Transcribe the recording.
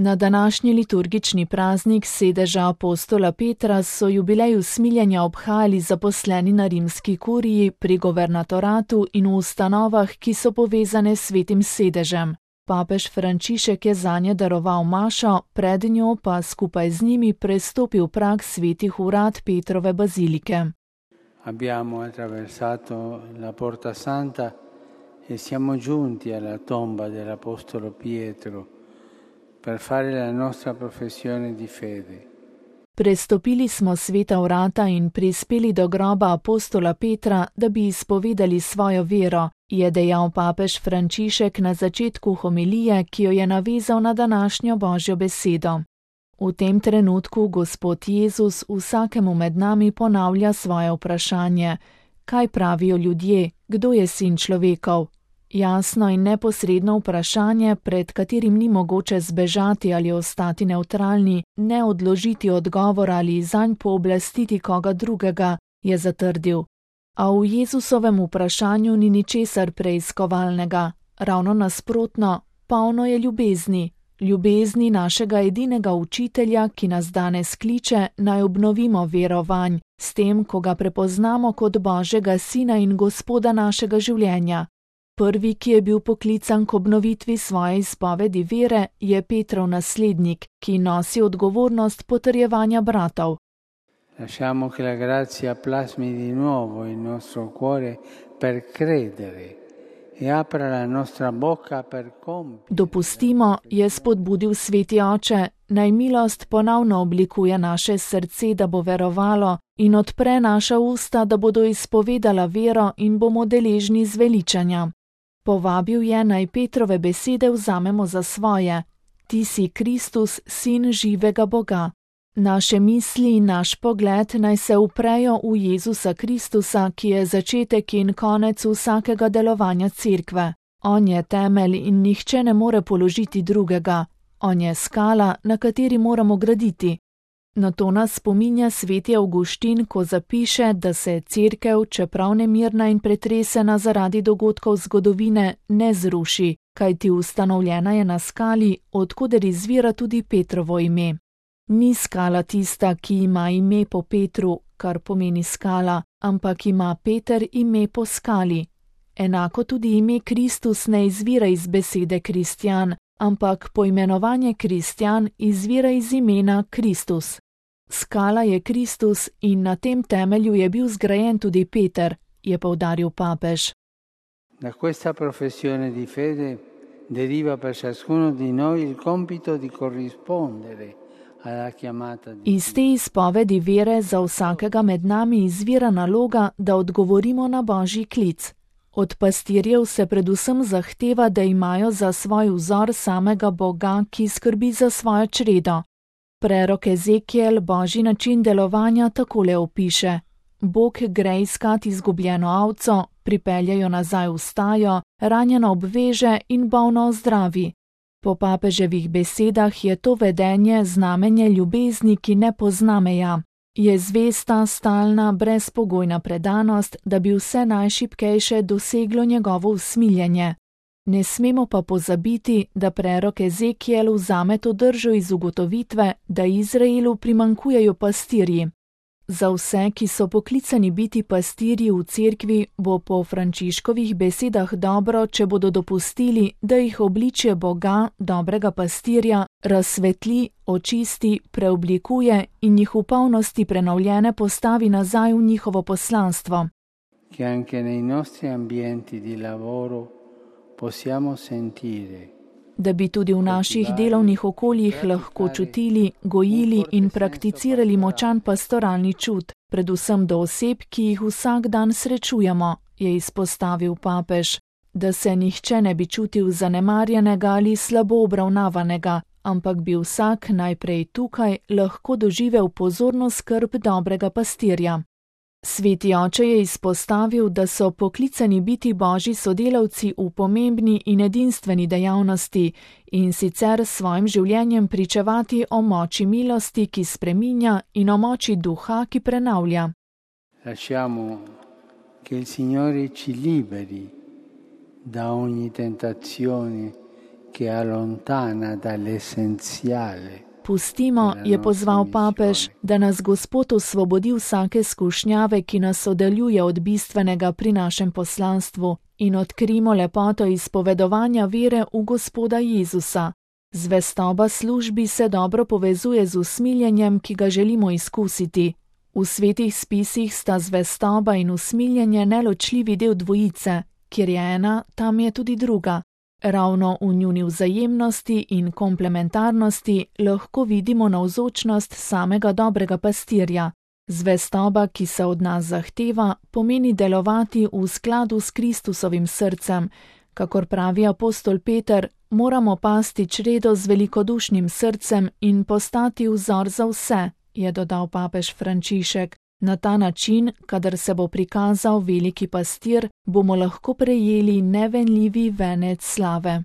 Na današnji liturgični praznik sedeža apostola Petra so jubilej usmiljenja obhajali zaposleni na rimski kuriji, pri guvernatoratu in v ustanovah, ki so povezane s svetim sedežem. Papež Frančišek je zanje daroval mašo, pred njo pa skupaj z njimi prestopil prag svetih urad Petrove bazilike. Abbiamo attraversato la Porta Santa e siamo giunti alla tomba dell'Apostolo Pietro per fare la nostra professione di fede. Prestopili smo sveta vrata in prispeli do groba apostola Petra, da bi izpovedali svojo vero, je dejal papež Frančišek na začetku homilije, ki jo je navezal na današnjo Božjo besedo. V tem trenutku Gospod Jezus vsakemu med nami ponavlja svoje vprašanje: kaj pravijo ljudje, kdo je sin človekov? Jasno in neposredno vprašanje, pred katerim ni mogoče zbežati ali ostati nevtralni, ne odložiti odgovora ali zanj pooblastiti koga drugega, je zatrdil. A v Jezusovem vprašanju ni ničesar preiskovalnega, ravno nasprotno, polno je ljubezni. Ljubezni našega edinega učitelja, ki nas danes kliče, naj obnovimo vero vanj, s tem, ko ga prepoznamo kot Božjega sina in Gospoda našega življenja. Prvi, ki je bil poklican k obnovitvi svoje izpovedi vere, je Petrov naslednik, ki nosi odgovornost potrjevanja bratov. Lasciamo che la grazia plasmi di nuovo il nostro cuore per credere e apra la nostra bocca per compiere. Dopustimo, je spodbudil sveti oče, naj milost ponovno oblikuje naše srce, da bo verovalo, in odpre naša usta, da bodo izpovedala vero in bomo deležni zveličanja. Povabil je, naj Petrove besede vzamemo za svoje: ti si Kristus, sin živega Boga. Naše misli in naš pogled naj se uprejo v Jezusa Kristusa, ki je začetek in konec vsakega delovanja cerkve. On je temelj in nihče ne more položiti drugega. On je skala, na kateri moramo graditi. Na to nas spominja sveti Avguštin, ko zapiše, da se cerkev, čeprav nemirna in pretresena zaradi dogodkov zgodovine, ne zruši, kajti ustanovljena je na skali, odkoder izvira tudi Petrovo ime. Ni skala tista, ki ima ime po Petru, kar pomeni skala, ampak ima Peter ime po skali. Enako tudi ime Kristus ne izvira iz besede kristjan, ampak poimenovanje kristjan izvira iz imena Kristus. Skala je Kristus in na tem temelju je bil zgrajen tudi Peter, je poudaril papež. Da questa professione di fede deriva per ciascuno di noi il compito di corrispondere alla chiamata di Dio. Iz te izpovedi vere za vsakega med nami izvira naloga, da odgovorimo na Božji klic. Od pastirjev se predvsem zahteva, da imajo za svoj vzor samega Boga, ki skrbi za svojo čredo. Prerok Ezekiel Božji način delovanja takole opiše: Bog gre iskat izgubljeno ovco, pripelje jo nazaj v stajo, ranjeno obveže in bolno ozdravi. Po papeževih besedah je to vedenje znamenje ljubezni, ki ne pozna meja. Je zvesta, stalna, brezpogojna predanost, da bi vse najšibkejše doseglo njegovo usmiljenje. Ne smemo pa pozabiti, da prerok Ezekiel vzame to držo iz ugotovitve, da Izraelu primanjkujejo pastirji. Za vse, ki so poklicani biti pastirji v cerkvi, bo po Frančiškovih besedah dobro, če bodo dopustili, da jih obličje Boga, dobrega pastirja, razsvetli, očisti, preoblikuje in jih v polnosti prenovljene postavi nazaj v njihovo poslanstvo. Che anche nei nostri ambienti di lavoro possiamo sentire. Da bi tudi v naših delovnih okoljih lahko čutili, gojili in prakticirali močan pastoralni čut, predvsem do oseb, ki jih vsak dan srečujemo, je izpostavil papež, da se nihče ne bi čutil zanemarjenega ali slabo obravnavanega, ampak bi vsak najprej tukaj lahko doživel pozorno skrb dobrega pastirja. Sveti oče je izpostavil, da so poklicani biti Božji sodelavci v pomembni in edinstveni dejavnosti in sicer s svojim življenjem pričevati o moči milosti, ki spreminja, in o moči duha, ki prenavlja. Lasciamo che il Signore ci liberi da ogni tentazione che allontana dall'essenziale. Pustimo, je pozval papež, da nas Gospod osvobodi vsake skušnjave, ki nas oddaljuje od bistvenega pri našem poslanstvu, in odkrimo lepoto izpovedovanja vere v Gospoda Jezusa. Zvestoba službi se dobro povezuje z usmiljenjem, ki ga želimo izkusiti. V svetih spisih sta zvestoba in usmiljenje neločljivi del dvojice, kjer je ena, tam je tudi druga. Ravno v njuni vzajemnosti in komplementarnosti lahko vidimo navzočnost samega dobrega pastirja. Zvestoba, ki se od nas zahteva, pomeni delovati v skladu s Kristusovim srcem. Kakor pravi apostol Peter, moramo pasti čredo z velikodušnim srcem in postati vzor za vse, je dodal papež Frančišek. Na ta način, kadar se bo prikazal veliki pastir, bomo lahko prejeli nevenljivi venec slave.